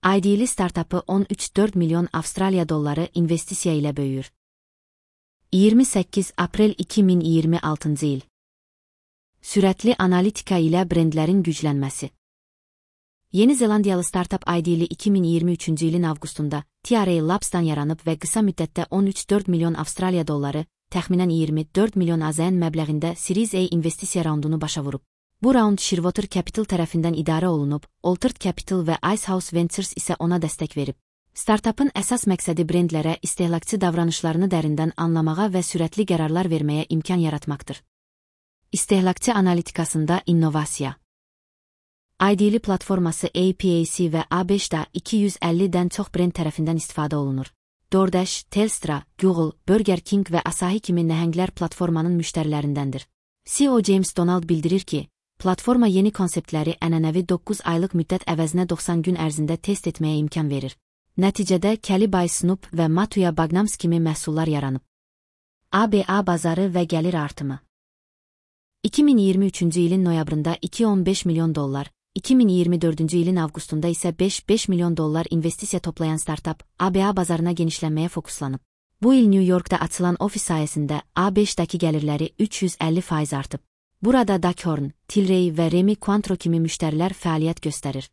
ID'li startapı 13,4 milyon Avstraliya dolları investisiya ilə böyüyür. 28 aprel 2026 il. Sürətli analitika ilə brendlərin güclənməsi. Yeni Zelandiyalı startap ID'li 2023 ilin avqustunda TRA Labs'dan yaranıb və qısa müddətdə 13,4 milyon Avstraliya dolları, təxminən 24 milyon AZN məbləğində Series A investisiya raundunu başa vurub. Bu raund Shearwater Capital tərəfindən idarə olunub, Altered Capital və Icehouse Ventures isə ona dəstək verib. Startapın əsas məqsədi brendlərə istehlakçı davranışlarını dərindən anlamağa və sürətli qərarlar verməyə imkan yaratmaqdır. İstehlakçı analitikasında innovasiya. ID'li platforması APAC və A5-da 250-dən çox brend tərəfindən istifadə olunur. DoorDash, Telstra, Google, Burger King və Asahi kimi nəhənglər platformanın müştərilərindəndir. CEO James Donald bildirir ki, platforma yeni konseptləri ənənəvi 9 aylıq müddət əvəzinə 90 gün ərzində test etməyə imkan verir. Nəticədə Kelly by Snoop və Matuya Bagnams kimi məhsullar yaranıb. ABA bazarı və gəlir artımı. 2023 ilin noyabrında $2.15 milyon, 2024 ilin avqustunda isə $5 milyon investisiya toplayan startap ABA bazarına genişlənməyə fokuslanıb. Bu il New York'da açılan ofis sayəsində A5'dəki gəlirləri 350% artıb. Burada Duckhorn, Tilray və Remy Cointreau kimi müştərilər fəaliyyət göstərir.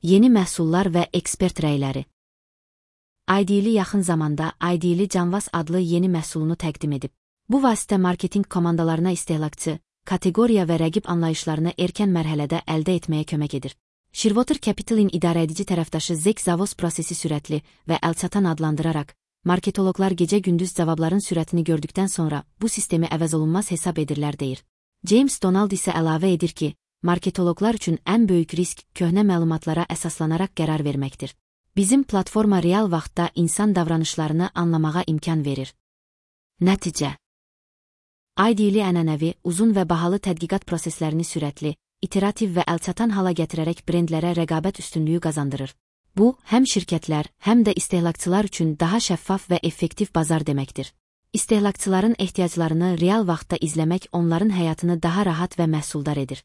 Yeni məhsullar və ekspert rəyləri. ID'li yaxın zamanda ID'li Canvas adlı yeni məhsulunu təqdim edib. Bu vasitə marketinq komandalarına istehlakçı, kateqoriya və rəqib anlayışlarını erkən mərhələdə əldə etməyə kömək edir. Shearwater Capital'in idarəedici tərəfdaşı Zach Zavos prosesi sürətli və əlçatan adlandıraraq, marketoloqlar gecə-gündüz cavabların sürətini gördükdən sonra bu sistemi əvəzolunmaz hesab edirlər deyir. James Donald isə əlavə edir ki, marketoloqlar üçün ən böyük risk köhnə məlumatlara əsaslanaraq qərar verməkdir. Bizim platforma real vaxtda insan davranışlarını anlamağa imkan verir. Nəticə. ID'li ənənəvi, uzun və bahalı tədqiqat proseslərini sürətli, iterativ və əlçatan hala gətirərək brendlərə rəqabət üstünlüyü qazandırır. Bu, həm şirkətlər, həm də istehlakçılar üçün daha şəffaf və effektiv bazar deməkdir. İstehlakçıların ehtiyaclarını real vaxtda izləmək onların həyatını daha rahat və məhsuldar edir.